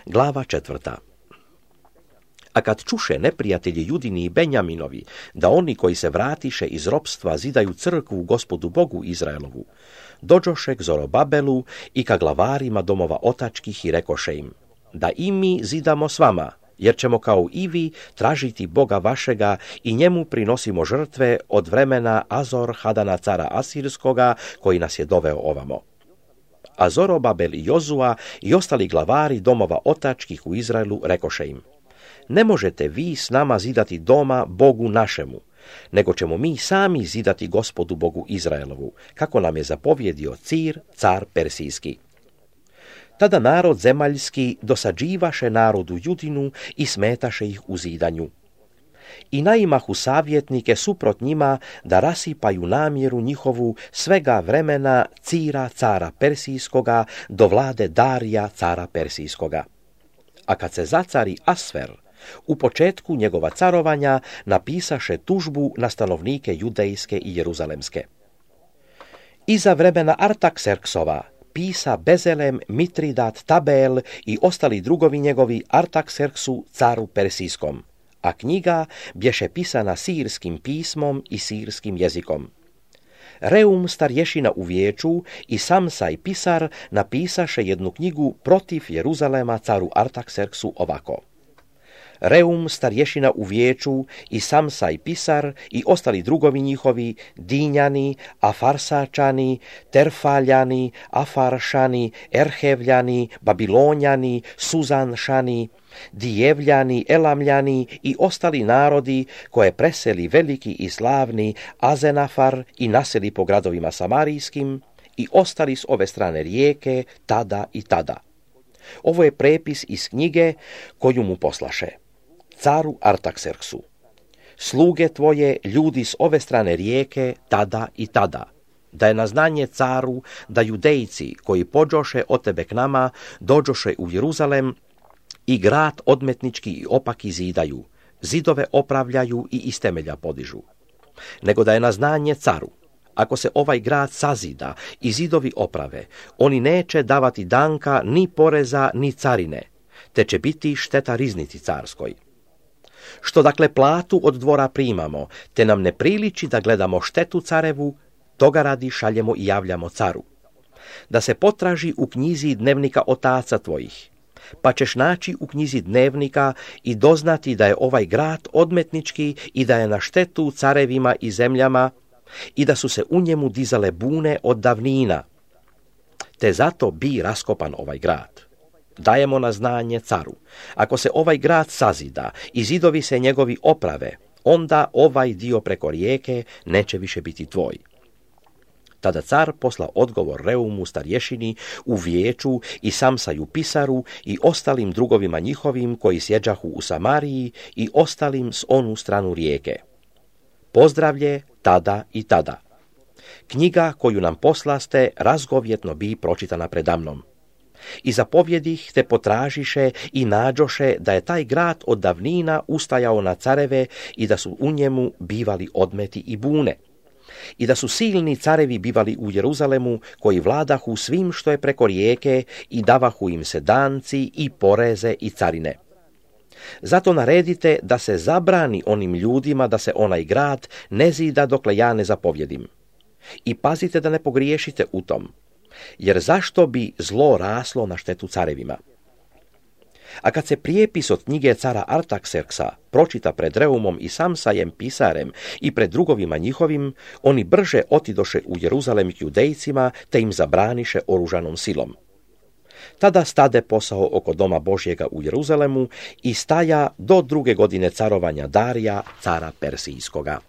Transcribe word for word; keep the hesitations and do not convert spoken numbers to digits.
Glava četvrta. A kad čuše neprijatelji Judini i Benjaminovi, da oni koji se vratiše iz ropstva zidaju crkvu Gospodu Bogu Izraelovu, dođoše k Zorobabelu i ka glavarima domova otačkih i rekoše im, da i mi zidamo s vama, jer ćemo kao i vi tražiti Boga vašega i njemu prinosimo žrtve od vremena Azor Hadana cara Asirskoga, koji nas je doveo ovamo. A Zorobabel i Jozua i ostali glavari domova otačkih u Izraelu rekoše im, ne možete vi s nama zidati doma Bogu našemu, nego ćemo mi sami zidati Gospodu Bogu Izraelovu, kako nam je zapovjedio Cir, car Persijski. Tada narod zemaljski dosađivaše narodu Judinu i smetaše ih u zidanju. I naimahu savjetnike suprot njima da rasipaju namjeru njihovu svega vremena Cira, cara Persijskoga, do vlade Darija, cara Persijskoga. A kad se zacari Asfer, u početku njegova carovanja napisaše tužbu na stanovnike judejske i jeruzalemske. Iza vremena Artakserksova pisa Bezelem, Mitridat, Tabel i ostali drugovi njegovi Artakserksu, caru Persijskom, a knjiga bješe pisana sirskim pismom i sirskim jezikom. Reum starješina u vijeću i Samsaj pisar napisaše jednu knjigu protiv Jeruzalema caru Artakserksu ovako. Reum starješina u vijeću i Samsaj pisar i ostali drugovi njihovi, Dinjani, Afarsačani, Terfaljani, Afaršani, Erhevljani, Babilonjani, Suzanšani, Dijevljani, Elamljani i ostali narodi koje preseli veliki i slavni Azenafar i naseli po gradovima samarijskim i ostali s ove strane rijeke tada i tada. Ovo je prepis iz knjige koju mu poslaše. Caru Artakserksu, sluge tvoje, ljudi s ove strane rijeke, tada i tada, da je na znanje caru da judejci koji pođoše od tebe k nama, dođoše u Jeruzalem i grad odmetnički i opaki zidaju, zidove opravljaju i iz temelja podižu. Nego da je na znanje caru, ako se ovaj grad sazida i zidovi oprave, oni neće davati danka ni poreza ni carine, te će biti šteta riznici carskoj. Što dakle platu od dvora primamo, te nam ne priliči da gledamo štetu carevu, toga radi šaljemo i javljamo caru. Da se potraži u knjizi dnevnika otaca tvojih, pa ćeš naći u knjizi dnevnika i doznati da je ovaj grad odmetnički i da je na štetu carevima i zemljama i da su se u njemu dizale bune od davnina, te zato bi raskopan ovaj grad. Dajemo na znanje caru, ako se ovaj grad sazida i zidovi se njegovi oprave, onda ovaj dio preko rijeke neće više biti tvoj. Tada car posla odgovor Reumu starješini u vijeću i Samsaju pisaru i ostalim drugovima njihovim koji sjeđahu u Samariji i ostalim s onu stranu rijeke. Pozdravlje tada i tada. Knjiga koju nam poslaste razgovjetno bi pročitana predamnom. I zapovjedih te potražiše i nađoše da je taj grad od davnina ustajao na careve i da su u njemu bivali odmeti i bune. I da su silni carevi bivali u Jeruzalemu koji vladahu svim što je preko rijeke i davahu im se danci i poreze i carine. Zato naredite da se zabrani onim ljudima da se onaj grad ne zida dokle ja ne zapovjedim. I pazite da ne pogriješite u tom, jer zašto bi zlo raslo na štetu carevima? A kad se prijepis od knjige cara Artakserksa pročita pred Reumom i Samsajem pisarem i pred drugovima njihovim, oni brže otidoše u Jeruzalem k judejcima te im zabraniše oružanom silom. Tada stade posao oko doma Božjega u Jeruzalemu i staja do druge godine carovanja Darija, cara Persijskoga.